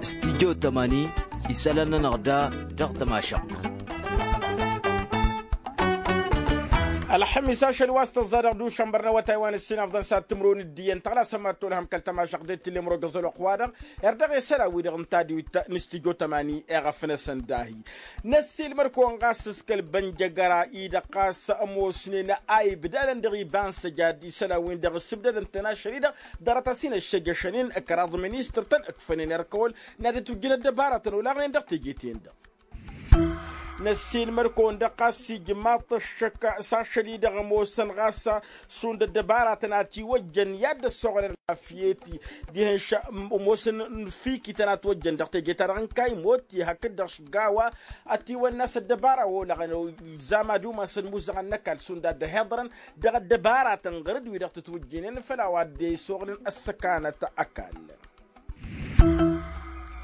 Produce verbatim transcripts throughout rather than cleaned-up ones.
Studyo tămani isălan-nănăɣ da dăɣ-tămašăɣt. Ălxămis ašăl wa s-tăẓẓa dăɣ-dušan bărnăwătay wa n-ǝssin afḍăn s-ad-tǝmrǝwăn d-iyyăn tăɣlasăm ad-tolhăm kăl-tămašăɣt d-e t-tǝllemrăw dăɣ-zăloq-wa-dăɣ. Erdăɣ i-isălan-wi-dăɣ n-tadwit n-studyo tămani eɣăf-năsăn dahi. Năssiilmăr kăwăn ɣas s-kăl-bănjăgăra-i-dăɣ ɣas ămoosnen a ibdalăn dăɣ-iba n-săjad isălan-win-dăɣ ǝssǝbdădăn-tăn ašăl-i-dăɣ ḍarăt-as-in ăššăjăšăn-in ăkăraḍ ministăr-tăn ǝkfănen erk ăwăl n-ad-ǝtwǝjjǝn ăddăbaratăn olaɣnen dăɣ-teje-ten-dăɣ. Năssiilmăr-kăwăn-dăɣ ɣas ijmaḍ-t ăššăk s-ašăl-i-dăɣ ămoosăn ɣas šund ăddăbaratăn a tiwăjjăn i-ad-dd-ăssoɣălăn ălɣafyăt-i dihen š-ămoosăn n-fikităn a tiwăjjăn dăɣ-teje-ta-dăɣ n-kaymotti hakd-dăɣ šgawa. Ătiwănna s-ăddăbara wa olăɣăn ilzam ad-umasăn imuzăɣăn n-ăkall šund ad-dd-ăhiḍărăn dăɣ-ăddăbaratăn ɣăr-dd wi-dăɣ tǝtwǝjjǝynen făll-a-wa dd-e-isuɣǝlăn ăssăkanăt ăkall.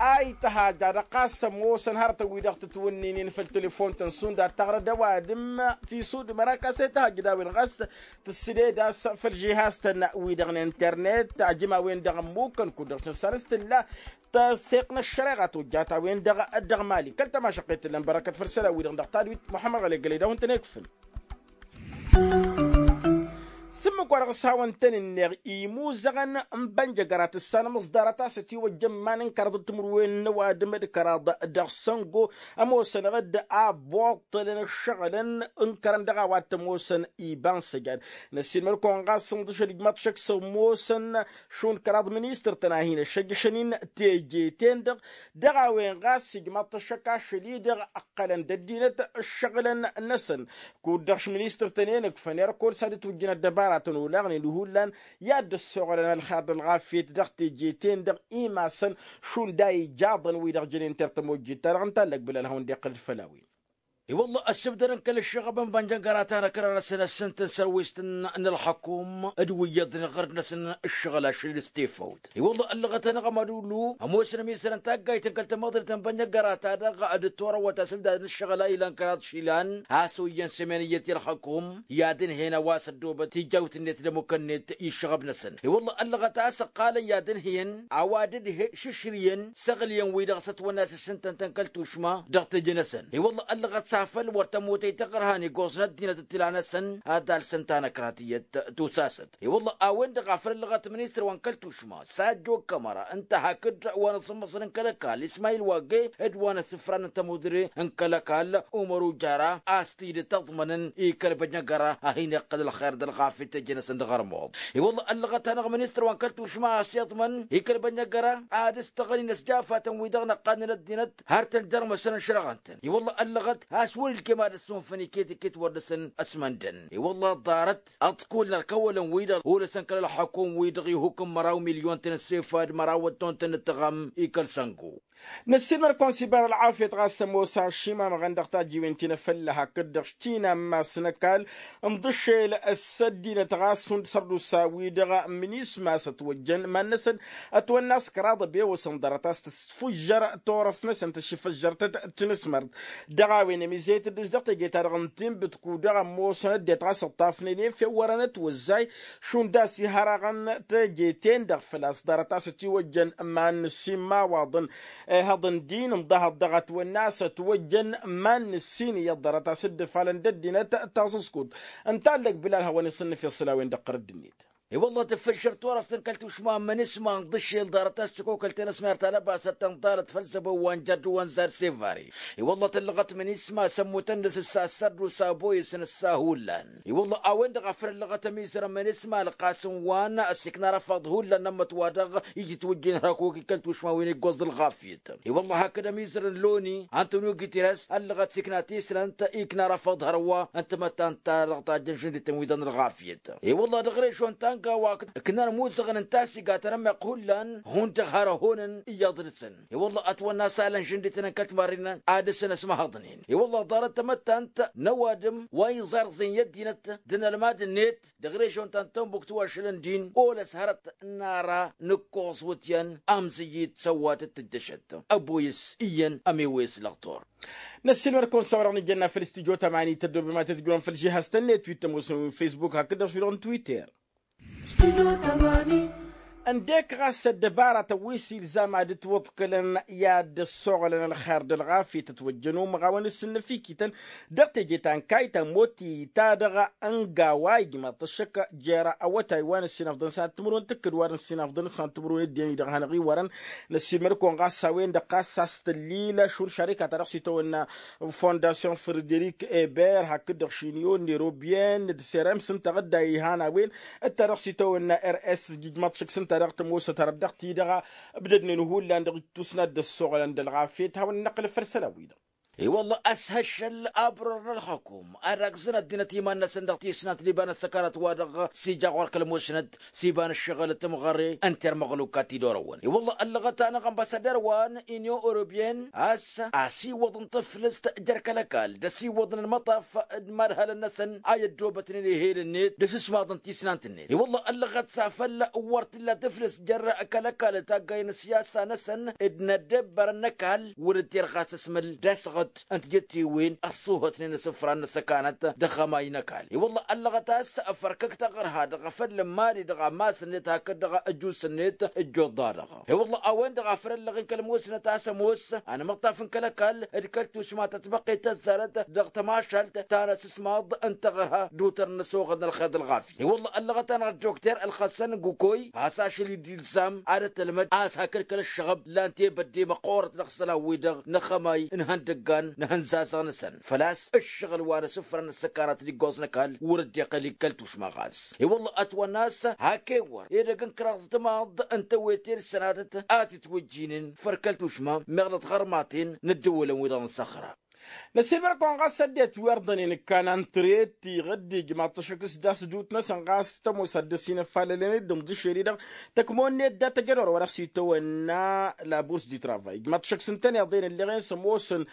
A ităhaj ad-ăqqas ămoosăn hărătăn-wi-dăɣ tǝtwǝnnǝynen făll-telefon-tăn šund ad-taɣrăd ăwadǝm tisudǝm ărakas a ităhaj d-a-wen ɣas tǝssǝded a-s făll-žihaz-tăn-wi-dăɣ n-internet ajǝm a-wen-dăɣ ămmukăn kud-dăɣ s-nǝssan s-tǝlla tăseɣt n-ăššăreɣa tojjat a-wen-dăɣ dăɣ-mali kăl-tămašăqqet tǝllăn bărăkăt făll-isălan-wi-dăɣ dăɣ-tadwit muḥămmăd ɣălegălăy d-a-hawăn-tăn-ikfǝn. S-ǝmmǝk-wa-dăɣ s-hawăn-tăn-ǝnneɣ imuzăɣăn n-bănjăgăra tǝssanăm s-ḍarăt a-s ătiwăjjăn iman n-kăraḍ d-timǝrwen n-ăwadǝm d-kăraḍ dăɣ-săngo ămoosănăɣ-dd a ăbboṭṭălăn ǝššăɣǝlăn n-kărăn dăɣ-a-wa t-ămoosăn iba n-săjad. Năssiilmăr kăwăn ɣas ǝnḍǝšăl ijmaḍ šăkk s-ămoosăn šund kăraḍ ministăr-tăn a hin-ăššăjjăšăn-in teje-ten-dăɣ dăɣ-a-wen ɣas ijmaḍ-t ăššăk ašăl-i-dăɣ ǝqqălăn d-ăddinăt ǝššăɣǝlăn-năsăn. Kud-dăɣ š-ministăr-tăn-en ǝkfăn erk wăr s-ad-ǝtwǝjjǝn ăddăbaratăn olaɣnen hullan i-ad-dd-ăssoɣălăn ălxer d-ălɣafyăt dăɣ-teje-ten-dăɣ imasăn šund a ijaḍăn wi-dăɣ jănen ter tămojjit-ta-dăɣ ǝnta ăllăg bǝlal hawăn-dd-iqqǝl d-făll-a-wen. I-wălla ăssǝbdădăn kăl-ǝššăɣăb n-bănjăngăra ta n-ăkrarăsăn ăssǝntăn sărwist n-ălxăkum d-wi iyyăḍnen ɣărd-năsăn ǝššăɣǝl ašăl-i d-stefawt. I-wălla ăllăɣăt-anăɣ amădullu ămoosăn ămizărăn taggayt n-kăl-tamăḍrit n-bănjăngăra ta dăɣ-dd-torăwăt asǝbdad n-ǝššăɣǝl a ilăn kăraḍ išilan a-s oyyăn sămen iyyăt i-ălxăkum i-ad-ǝnhǝyăn a-wa s-ăddoobăt tijawt-net d-ămmukăn-net i-ǝššăɣăb-năsăn. I-wălla ăllăɣăt a-s ǝqqalăn i-ad-ǝnhǝyăn a-wa dd-šǝšrǝyăn s-aɣǝlyăn-wi-dăɣ s-ătwănna a-s ǝssǝntăn-tăn kăl-tušma dăɣ-teje-năsăn. I-wălla ăllăɣăt s-afăl wăr tămootăy taɣărha n-iggoẓ n-ăddinăt d-tila-năsăn ad-alsăn tanăkrat iyyăt tusasăt. I-wălla a-wen-dăɣ a făl ăllăɣăt ministăr wa n-kăl-tušma sajjo kămăra ǝnta hakd wa n-asǝmmăṣăn n-kăl-ăkall ismayil wagge d-wa n-asǝfran n-tămudre n-kăl-ăkall umăr ujara a-s t-dd-tăḍmănăn i-kăl-bănjăgăra a hin-iqqăl ălxer d-ălɣafyăt teje-năsăn dăɣ-ărmuḍ. I-wălla ăllăɣăt-anăɣ ministăr wa n-kăl-tušma a-s iḍmăn i-kăl-bănjăgăra ad-ǝstăɣăl-in ăsjafatăn-wi-dăɣ năqqadnen ăddinăt har tăn-dărmăsăn ăšrăɣăn-tăn. I-wălla ăllăɣăt a-s wăr-ilkem ad-ăssunfăn iket-iket wăr dăr-săn ăsmăndăn. I-wălla ḍarăt ăḍkulăn ărkăwălăn-wi-dăɣ olăsăn kăl-ălxăkum-wi-dăɣ ihuk n-măraw milyon-tăn ăssefad măraw ătton-tăn ǝttăɣam i-kăl-săngo. Năssiilmăr-kăwăn s-ibar ălɣafyăt ɣas ămoos ašimamăɣăn dăɣ-tajiwen ti n-efălla hakd-dăɣ ština n-imass n-ăkall ǝnḍǝšel s-ăddinăt ɣas šund sărdusa-wi-dăɣ minisma a-s ătwăjjăn iman-năsăn ătwănna a-s kăraḍ ăbewăsăn ḍarăt a-s tǝsfǝjjăr turăft-năsăn tǝššǝfăjjărtăt tinǝsmărt. Dăɣ-a-wen ămizăyăt dd-s dăɣ-teje-ta-dăɣ n-tinbǝt kud-dăɣ ămoosăn ăddinăt ɣas ǝṭṭafnen i-fewwărăn ătwăzzay šund a-s ihărăɣăn teje-ten-dăɣ făl-a-s ḍarăt a-s ătiwăjjăn iman-năssin imawaḍăn. Ehăḍ n-din ǝnḍăhăḍ dăɣ-ătwănna a-s ătwăjjăn iman-năssin iyyăḍ ḍarăt a-s dd-ǝfalăn d-ăddinăt taẓǝskut. Ǝnta a ǝllăg bǝlal hawăn-isǝnnǝf i-iṣǝlawen dăɣ-qărǝd-net. I-wălla tǝffǝlšăr turăft n-kăl-tušma n-imǝnǝsma ǝnḍǝšel ḍarăt a-s tǝkokăl tenăsmert ta n-ăbasăt tăn-ḍarăt făll-zăbo wa n-jăr d-wa n-zar sevare. I-wălla tăllăɣăt imǝnǝsma s-ămmutăn-năs s-assărdusa boyǝsăn s-ahullan. I-wălla a-wen-dăɣ a făl ăllăɣăt ămizărăn imǝnǝsma ălqasǝm wa n-ăsikna răfaḍ hullan n-ămmăt-wa-dăɣ iji ǝtwǝjjǝyăn hărăkuk i-kăl-tušma wi n-iggoẓ d-ălɣafyăt. I-wălla hakd ămizărăn loni antonio guterres ăllăɣăt s-ikna tislănt ikna răfaḍ hărwa n-tamăttant ta dăɣ-tajjăn žǝndităn wi-dăɣ n-ălɣafyăt. I-wălla dăɣ-režon ta n-gawa ǝknan imuzăɣăn n-tasiga tanămmeɣt hullan hundăɣ hărăhonăn iyyăḍ dăr-săn. I-wălla ătwănna a-s alăn žǝndităn n-kăl-timarrinăn ad-dăr-săn ăsmăhăḍnen. I-wălla ḍarăt tamăttant n-ăwadǝm wa iẓarẓen i-ăddinăt d-inălmad-net dăɣ-režon ta n-tănbuktu ašăl n-din olăs hărăt n-ara n-ǝkkoẓ wǝtyan amzǝyyit s-ăwadǝm d-tǝjjăšăt. Ăboyǝs iyyăn ămiwes lăɣtor. Năssiilmăr-kăwăn s-a-wa-dăɣ nǝjjănna făll-studyo tămani tăddoobem ad-tǝjrǝwăn făll-žihaz-tăn-net wi t-ămoosăn wi n-facebook hakd-dăɣ s-wi-dăɣ n-twitter. Studyo tămani. Ăndek ɣas ăddăbaratăn wi s-ilzam ad-ǝtwǝḍkǝlăn i-ad-dd-ăssoɣălăn ălxer d-ălɣafyăt ătwăjjăn umăɣawăn s-ǝnnăfikităn dăɣ-teje ta n-kayt ta n-moti ta dăɣ-ăngawa ijmaḍ-t ăššăk jer-awătay wa n-ăssinafḍăn s-ad-timǝrwen tǝkkǝd wa n-ăssinafḍăn s-ad-timǝrwen ăddinăn-i-dăɣ hanăɣ-iwărăn. Năssiilmăd-kăwăn ɣas a-wen-dăɣ ɣas a-s tǝllil ašul šarika ta dăɣ-s itawănna fondasyon frederik eber hakd-dăɣ šinyon n-erobyen d-serem s-ǝnta ɣǝdda ihan a-wen d-ta dăɣ-s itawănna rs ijmaḍ-t šǝk s-ǝnta dăɣ-tămoosăt hărăt dăɣ-ti-dăɣ ǝbdădnen hullan dăɣ-tusnat d-ăssoɣălăn d-ălɣafyăt hawăn-năqqǝl făll-isălan-wi-dăɣ. I-wălla a-s hăššăl abărăr n-ălxukum ad-agǝzăn ăddinăt iman-năsăn dăɣ-tisnant d-iba n-ăssăkanăt wa dăɣ-s ija ɣur-kăl-musnăt s-iba n-ăššăɣǝl timɣăre ǝnta irmăɣluk ad-t-dd-orăwăn i-wălla ăllăɣăt-anăɣ ănbasăder wa n-inyon europyen a-s asiwăḍ n-tǝflǝst jer-kăl-ăkall d-asiwăḍ n-ălmăṭṭaf d-imadhălăn-năsăn a i-ăddoobătnen ehel-net d-asǝsmaḍ n-tisnant-net i-wălla ăllăɣăt s-afăl wăr t-illa tǝflǝst jer-kăl-ăkall taggay n-ăsiyasa-năsăn d-inăddebbărăn n-ăkall wăr dd-terɣas asmǝl d-asɣǝt n-tijǝttiwen ăṣṣuhătnen asǝfran n-ăssăkanăt dăɣ-amay n-ăkall i-wălla ăllăɣăt a-s ăfărkăk taɣărha dăɣ-afăl n-imali dăɣ-amas-net hakd dăɣ-ăjus-net ǝjjoḍ-da-dăɣ. I-wălla a-wen-dăɣ a făl ăllăɣen kăl-musnăt a-s ămoos anămăṭṭaf n-kăl-ăkall d-kăl-tušma ta tbăqqet tăzzarăt dăɣ-tămašalt ta n-asǝsmaḍ n-taɣărha d-utăr n-ăsoɣăd n-ălxer d-ălɣafya i-wălla ăllăɣăt-anăɣ ăddokter ălxăssăn gukoi a-s ašăl-i-dd ilzam ad-ătălmăd a-s hakd kăl-ăššăɣăb lan tebădde măqqoorăt dăɣ-isălan-wi-dăɣ n-axămay n-ihăndăggan n-ihănzazăɣ-năsăn făl-a-s ǝššăɣǝl wa n-asǝfrăn n-ăssăkanat d-iggoẓ n-ăkall wăr dd-iqqăl-i kăl-tušma ɣas i-wălla ătwănna a-s hak ewăr edăgg n-kăraḍ timaḍ n-tewete d-sănatăt a t-itwǝjjinen făr kăl-tušma meɣ dăɣ-tiɣărmaten n-ăddăwălăn-wi-dăɣ n-săxra. Năsiilmăr-kăwăn ɣas ăddinăt wi ărḍănen ǝkkan ăntrăy d-tiɣǝd ijmaḍ-t ăššăk s-dd-asdut-năsăn ɣas tămoos ad-dd-ăsinăfalălăn-dd ǝnḍǝšel-i-dăɣ tăkmo-net dat-ăjădor wa dăɣ-s itawănna laburs di travay ijmaḍ-t ăššăk s-ǝntăneḍ-en ǝlleɣ-en s-ămoosăn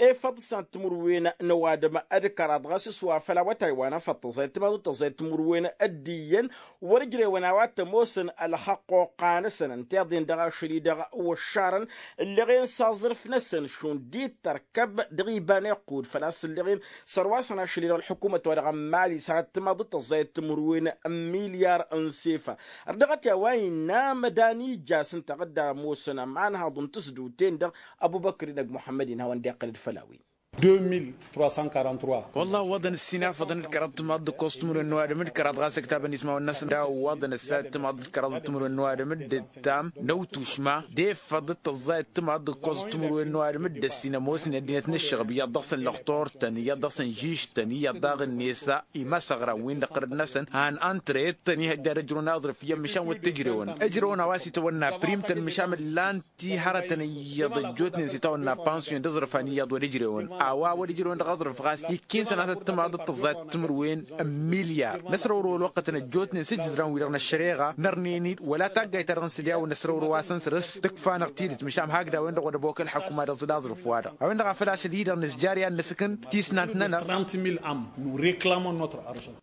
efăḍ s-ad-timǝrwen n-ăwadǝm d-kăraḍ ɣas s-wa făl awătay wa n-afăḍ tăẓẓayăt timaḍ d-tăẓẓayăt timǝrwen d-iyyăn wăr-ǝjrewăn a-wa t-ămoosăn ălxăqqoqqa-năsăn ǝnta iḍen dăɣ-ašăl-i-dăɣ wăššarăn ǝlleɣ-en s-aẓrǝf-năsăn šund-i d-tărkăb dăɣ-iba n-iqqud făl-a-s ǝlleɣ-en sărwasăn ašăl-i-dăɣ ălḥukumăt wa dăɣ-n mali s-ad-timaḍ d-tăẓẓayăt timǝrwen n-milyar n-sefa. Ărdăɣăt i-a-wa innă amădan ija s-ǝnta ɣǝdda ămoosăn ămanhaḍ n-tǝsduten-dăɣ ăbubăkr-i n-ăgg muḥămmăd-in hawăn-dd-iqqăl d-făll-a-wen. Deux mille trois cent quarante-trois. Wălla ăwwăḍăn ǝssin afăḍăn d-kăraḍ timaḍ d-ǝkkoẓ timǝrwen n-ăwadǝm d-kăraḍ ɣas ǝktabăn ismawăn-năsăn d-a ăwwăḍăn ăssa d-timaḍ d-kăraḍ timǝrwen n-ăwadǝm d-ǝttam n-ăwtušma d-efăḍ d-tăẓẓayăt timaḍ d-ǝkkoẓ timǝrwen n-ăwadǝm d-ăssin ămoosnen ăddinăt n-ǝššăɣăb iyyăḍ dăɣ-săn lăxtor-tăn iyyăḍ dăɣ-săn žiž-tăn iyyăḍ daɣ-net imasăɣran-win-dăɣ ɣărăd-năsăn han ăntrăyăt-tăn ihăjja ad-ǝjrǝwăn aẓrǝf iyyăn măšan wăr t-ǝjrewăn ǝjrăwăn a-wa s-itawănna prim-tăn măšan ǝllan-t ti hărătăn iyyăḍ ăjjootnen s-itawănna pansiyon d-aẓrǝf han iyyăḍ wăr ǝjrewăn a-wa wăr ǝjrewăn dăɣ-aẓrǝf ɣas ikk'-in sănatăt timaḍ d-tăẓẓayăt timǝrwen n-milyar n-ăsrăwrăw ălwăqqătăn ăjjootnen s-ǝjǝdran-wi-dăɣ n-ăššăreɣa nărnen-dd wăla taggayt-ta-dăɣ n-sǝlya wa n-ăsrăwrăw a-s ănsărǝs tǝkfa-năɣ tidǝt măšan hakd a-wen-dăɣ wăr-ăbokăl ălḥăkuma dăɣ-s d-aẓrǝf-wa-dăɣ a-wen-dăɣ a făl ašăl-i-dăɣ nǝzjar i-ad-nǝsǝkǝn tisnant-nănăɣ. Trente mille âmes nous réclamons notre argent.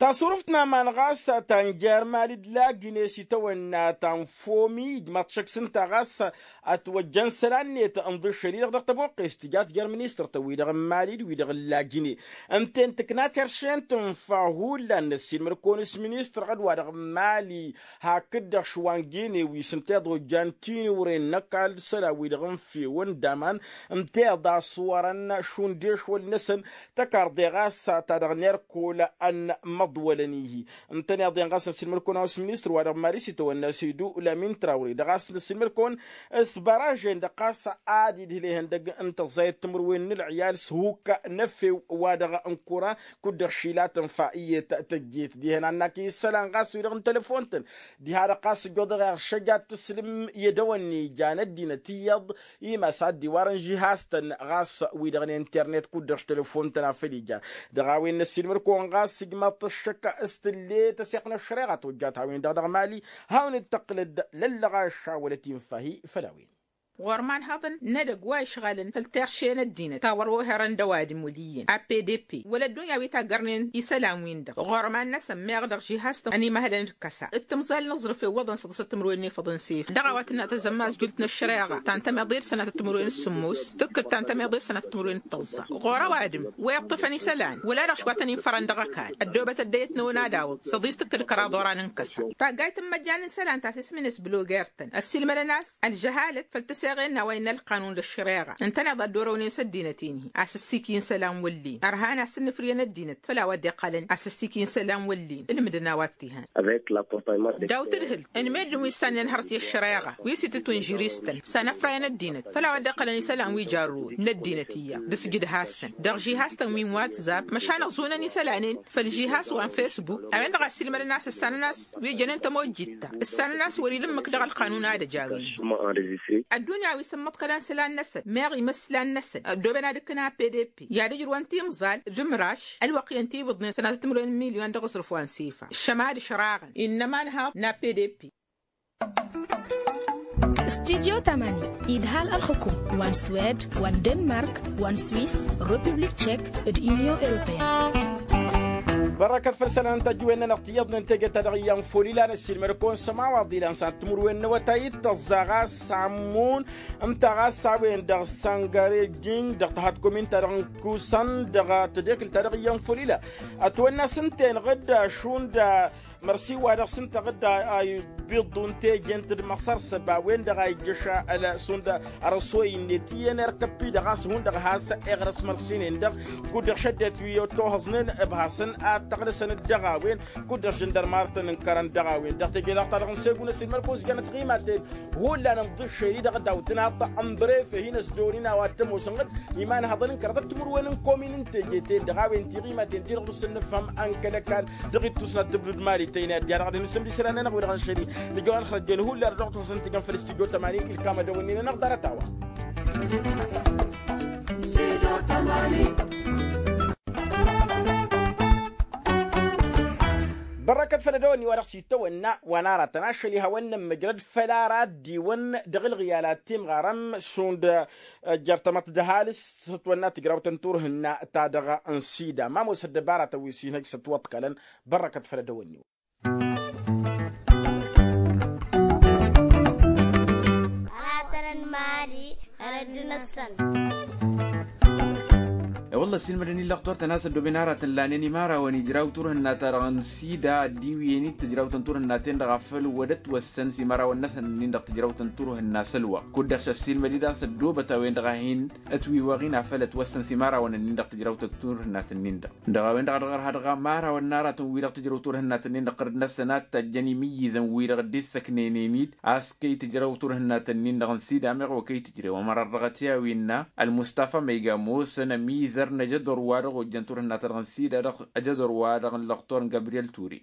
Tasruft n-aman ɣas ta n-jer-mali d-lagine s-itawănna ta n-fomi ijmaḍ-t šăkk s-ǝnta ɣas ătwăjjăn isălan-net ǝnḍǝššăl-i-dăɣ dăɣ-tăbuqqest tǝjat jer-ministăr-tăn-wi-dăɣ n-mali d-wi-dăɣ n-lagine ǝnta-en tǝkna terše n-tǝnfa hullan n-ăssiilmăd-kăwăn s-ministăr ɣǝd-wa-dăɣ n-mali hakd-dăɣ šwangene wi s-ǝnta iḍojjan tinuren n-ăkall d-isălan-wi-dăɣ n-fewăn d-aman ǝnta iḍa ăṣwărăn šund ešwăl-năsăn tăkarḍe ɣas ta dăɣ-nerkol ănmăḍwălăn-ihi. Ǝntăneḍ-en ɣas n-asilmăd-kăwăn a-wa s-ministăr-wa-dăɣ n-mali s-itawănna s-idu lamin trawre dăɣ-a-s n-asilmăd-kăwăn s-bărăžen-dăɣ ɣas ad-idhǝl ihăndăg n-tăẓẓayăt timǝrwen n-ǝlɣiyal s-hukka n-efew wa dăɣ-n-kura kud-dăɣ šilatăn fa iyyăt tăjjet dihen annak isălan ɣas wi-dăɣ n-telăfon-tăn diha-dăɣ ɣas ǝjjoḍăɣ iɣšăj ad-tǝslǝm i-edăwănni ijan ăddinăt iyyăḍ imas ad-dd-iwarăn žihaz-tăn ɣas wi-dăɣ n-internet kud-dăɣ s-telăfon-tăn a făl ija. Dăɣ-a-wen n-ăssiilmăd-kăwăn ɣas ǝjmaḍ-t ăššăk s-tǝlle tăseɣt n-ăššăreɣa tojjat a-wen-dăɣ dăɣ-mali hawăn-dd-tăqqǝlăd lăllăɣa ăššawălăt infa-hi făll-a-wen. Ɣur-imanhăḍăn n-edăgg wa ǝšɣalăn făll-terše n-ăddinăt ta wăr-oherăn d-ăwadǝm wăl' iyyăn a p d p wăla ăddunya wi taggărnen isălan-win-dăɣ ɣur-iman-năsăn meɣ dăɣ-žihaz-tăn ănimăhălăn d-kăsa d-timẓal n-aẓrǝf iwwăḍăn săḍǝsăt timǝrwen n-efăḍăn s-efăḍ. Dăɣ-a-wa tǝnnă tazămmazjult n-ăššăreɣa ta n-tămiḍe d-sănatăt timǝrwen s-sǝmmos tǝkkǝd ta n-tămiḍe d-sănatăt timǝrwen d-tăẓẓa ɣur-ăwadǝm wa iṭṭǝfăn isălan wăla dăɣ-ašwatăn-in fărăn dăɣ-ăkall ăddoobăt ăddăyăt n-awăn ad-awǝḍ săḍis tǝkkǝd kăraḍ oran n-kăsa. Taggayt n-imăjjan n-isălan ta s-ismǝnes bloger-tăn ăssiilmădăn a-s ălžăhalăt făll-tǝseɣen n-a-wa innă ălqanun d-ăššăreɣa ǝntăneḍ a dd-orăwnen s-ăddinăt-in-hi a-s ǝssiky n-isălan wăl-len ărhan a-s ǝnnǝfrǝyăn ăddinăt făll-a-wa dd-iqqălăn a-s ǝssiky n-isălan wăl-len ǝlmǝdăn a-wa t-ihăn. Daw-tǝdhǝlt n-meddǝn wi ǝssannen hărăt i-ăššăreɣa wi s-itǝtwǝnžǝr-istăn s-anăfrayăn ăddinăt făll-a-wa dd-iqqălăn isălan wi jarrăwăn n-ăddinăt iyyăḍ d-asǝjǝd-hasăn dăɣ-žihaz-tăn wi n-watzab măšan ăẓunăn isălan-en făll-žihaz wa n-fesbuk a-wen-dăɣ a ăssiilmădăn a-s ǝssanăn a-s wi jănen tămojjit-ta ǝssanăn a-s wăr-ila ǝmmǝk dăɣ-ălqanun ad-ăj a-wen. Ăddunya wi s-ǝmmăḍkălăn isălan-năsăn meɣ imǝslan-năsăn ăddooben ad-ǝkkǝn a p d p i-ad-ǝjrǝwăn timẓal d-imraš ălwăqq-i ănta ibǝḍnen sănatăt timǝrwen n-milyon dăɣ-aẓrǝf wa n-sifa ǝššămad ǝšraɣăn innă ămanhaḍ n-a p d p. Studyo tamani idhal ălxǝkum wa n-swed wa n-denmark wa n-swis, republik tšek d-unyon europeyăn. Bărăkăt făll-isălan n-tajǝwen-nănăɣ tiyyăḍnen teje ta dăɣ-iyyăn fol ilan ăssiilmăd-kăwăn s-ămawaḍ ilan s-ad-timǝrwen n-awătay d-tăẓẓa ɣas s-ammǝn ǝnta ɣas a-wen-dăɣ săngare jǝnj dăɣ-tăhat komin-ta-dăɣ n-kusăn dăɣ-tedekǝlt ta dăɣ-iyyăn fol ila. Ătwănna s-ǝnta-enăɣ-dd šund mărsi wa dăɣ-s ǝnta ɣǝdda a ibiḍu n-teje n-tǝdmăsăr s-ăba-wen-dăɣ a ijjăš ălsund. Ărăsoy-net iyyăn erk ăppi-dăɣ a-s hundăɣ has-eɣrăs mărsinen-dăɣ kud-dăɣ šăddinăt wi ătohăẓnen ǝbhasăn ad-tăɣnăsăn-dd dăɣ-a-wen kud-dăɣ žăndărmar tăn-ǝnkărăn dăɣ-a-wen dăɣ-teje-dăɣ ta dăɣ-n segu n-ăsilmăr-kăwăn s-jănăt ɣimaten. Hullan n-iḍǝššen-i-dăɣ d-awǝtnaḍ n-brefe hin-ăsdăwăn-in a-wa t-ămoosăn ɣǝd imanhăḍăn n-kăraḍăt timǝrwen n-komin n-teje-ten-dăɣ a-wen tiɣimaten-ti-dăɣ dăɣ-s ǝnnǝfhăm ănkălăkal. Dăɣ-ittus n-ad-tǝblǝd mali tăyne ăddiha dăɣ-ad-inǝsǝm d-isălan-nănăɣ wi-dăɣ n-šăli. Nǝjăwăn xărăjjen hullan dăɣ-tăsăn tǝjăn făll-studyo tămani ilkam ad-dăwănnin-anăɣ ḍarăt a-wa. Bărrăkăt făll-ad-dăwănni wa dăɣ-s itawănna wa n-aratăn ašăl ihawăn-nămmăjrăd făll-ara ăddiwăn dăɣ-ǝlɣǝyal ad-timɣarăm šund. Jer-tamăḍt d-ăhalǝs s-ătwănna tǝjrawt n-turhǝnna ta dăɣ-n sida ma ămoos ăddăbaratăn wi s-inhăj s-ătwăḍkălăn. Bărrăkăt făll-ad-dăwănni-wăn. Aratăn n-mali. Hărăt-năsăn. E-wălla ăssiilmădăn-in lăqtor-tăn a-s ăddooben aratăn lanen imărawăn ijraw turhǝnna-ta-dăɣ n-sida ăddiwǝyăn-dd tǝjrawt n-turhǝnna-ten-dăɣ a făl wăr ătwăssăn s-imărawăn-năsăn-nin-dăɣ tǝjrawt n-turhǝnna s-ălwăqq kud-dăɣ s-ăssiilmăd-dd a-s ăddoobăt a-wen-dăɣ a hin-ătwiwăɣ-in a făl ătwăssăn s-imărawăn-nin-dăɣ tǝjrawt n-turhǝnna-tăn-nin-dăɣ. Dăɣ-a-wen-dăɣ a dăɣ-ărha dăɣ-amărawăn n-aratăn-wi-dăɣ tǝjrăw turhǝnna-tăn-nin-dăɣ ɣărd-năsăn ad-t-ăjjăn imǝyyǝzăn-wi-dăɣ dd-issăknenen-dd a-s kăy-tǝjrăw turhǝnna-tăn-nin-dăɣ n-sida meɣ wa kăy-tǝjrew ămăra ărrăɣăt i-a-wi ǝnna ălmustafa ma iga ămoosăn ămizăr n-ajădor wa dăɣ-ojjăn turhǝnna-ta-dăɣ n-sida dăɣ-ajădor wa dăɣ-n lăqtor n-gabriyel ture.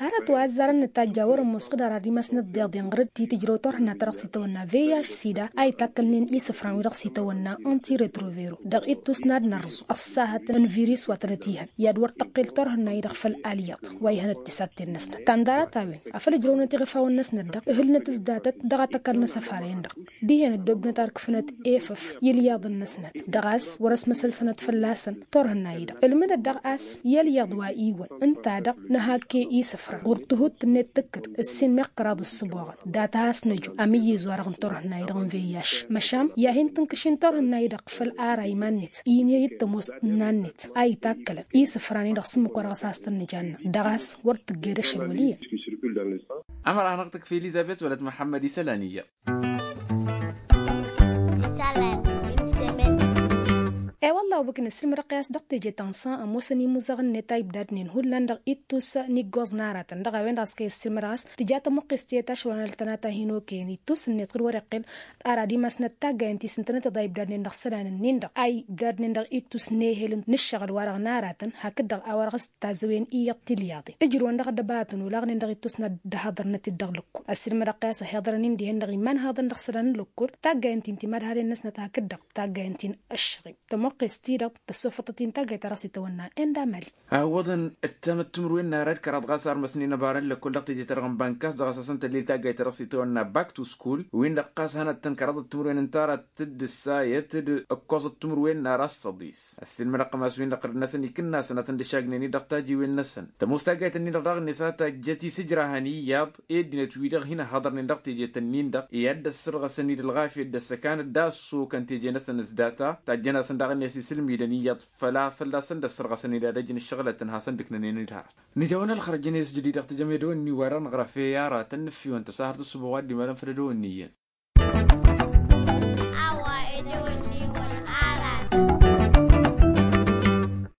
Arăt wa ăzzarăn nǝtajj a wăr-ămoos ɣǝd ara d-imasnăt d-iḍen ɣǝr-dd ti tǝjrăw turhǝnna-ta-dăɣ s-itawănna veyaš sida a itakkălnen isǝfran-wi-dăɣ s-itawănna ăntiretrovero dăɣ-ittus n-ad-nărẓu ăṣṣahăt n-virus wa tănăt-ihăn i-ad-wăr tăqqel turhǝnna-i-dăɣ făll-alyaḍ wa ihănăt tisatten-năsnăt ta n-ḍarăt-a-wen afăl ǝjrăwnăt iɣǝfawăn-năsnăt-dăɣ ǝhǝlnăt s-datăt dăɣ-ad-tăkall n-asăfaren-dăɣ dihen ăddoobnăt ar ǝkfǝnăt efăf i-alyaḍăn-năsnăt dăɣ-a-s wăr-ăsmăsălsănăt fălla-săn. Turhǝnna-i-dăɣ ǝlmǝdăt daɣ a-s i-alyaḍ wa iwăn ǝnta-dăɣ nǝhakke isǝfran ɣur-tǝhut-net tǝkkǝd ǝssin meɣ kăraḍ ǝssǝboɣăn data a-s năju amǝyyǝz-wa-dăɣ n-turhǝnna-i-dăɣ n-veyyaš măšan i-ad-hin-tǝnkǝšin turhǝnna-i-dăɣ făll-ara iman-net i-inhăy d-tămoos n-inan-net a itakkălăn isǝfran-i-dăɣ s-ǝmmǝk wa dăɣ-s has-tăn-nǝjanna dăɣ-a-s wăr tǝjjed ašăl wăl' iyyăn. Ămăra hanăɣ-tǝkf elizăbet wăla t-măḥămmăd isălan iyyăḍ. E-wălla a-wa băkk nǝssilmădăɣ-i a-s dăɣ-teje ta n-san ămoosăn imuzăɣ-net a ibdadnen hullan dăɣ-ittus n-iggoẓ n-aratăn dăɣ-a-wen-dăɣ a-s kăy-ăssiilmădăɣ a-s tǝja tămuqqes tiyyăt ašăl wa n-ăltănat a hin-okăyăn ittus-net ɣǝr-wăr iqqel ara d-imasnăt taggayăn ti s-ǝntănăteḍ a ibdadnen dăɣ-isălan-ǝnnin-dăɣ a ibdadnen dăɣ-ittus n-ehel n-ǝššăɣǝl-wa-dăɣ n-aratăn hakd-dăɣ a-wa dăɣ-s tazăwen iyyăḍ tilyaḍen ǝjrǝwăn dăɣ-ăddăbaratăn olaɣnen dăɣ-ittus n-ad-dd-haḍărnăt-dd dăɣ-lăkkol ăssiilmădăɣ-t i-a-s ăhiḍărăn-in dihen-dăɣ iman haḍăn dăɣ-isălan n-lăkkol taggayăn ti n-timadhalen-năsnăt hakd-dăɣ taggayăn ti n-ǝššăɣim. Ăqqes-ti-dăɣ tăssofăḍăt-in taggayt ta dăɣ-s itawănna enda mali. Ăwwăḍăn ǝttamăt timǝrwen n-ara d-kăraḍ ɣas armăsnen ăbarăn lăkkol dăɣ-teje-ta-dăɣ n-bankas dăɣ-asăsăn tăllil taggayt ta dăɣ-s itawănna back to school, win-dăɣ ɣas hanăt-tăn kăraḍăt timǝrwen n-tara d-tǝddǝssayăt d-ǝkkoẓăt timǝrwen n-ara s-săḍis. Ăssiilmădăɣ-tăn a-s win-dăɣ ɣǝrǝd-năsăn ikǝnnasăn ad-tăn-dd-ǝššagnen-i dăɣ-tajiwen-năsăn. Tămoos taggayt-nin-dăɣ daɣ-net a tajjăt isǝjrahăn iyyăḍ i-ăddinăt-wi-dăɣ hin-ăhhăḍărnen dăɣ-tejet-nin-dăɣ i-ad-dd-ăssărɣăsăn-dd ălɣafyăt d-ăssăkan d-assokăn teje-năsăn s-data. Tajjăn-asăn daɣ-net isǝlmidăn iyyăḍ făla fălla-săn dd-ăssărɣăsăn-dd ad-ăjǝn ǝššăɣǝlătăn hasăn-dd-ǝknănen-dd hărăt. Nǝjawăn ălxărăj-net jădid dăɣ-tejămedăwăn-ni-wa-dăɣ nǝɣrăf i-aratăn nǝffiwăn tăsahărt d-ǝssǝboɣ wa dd-imalăn făll-edăwăn-ni iyyăn.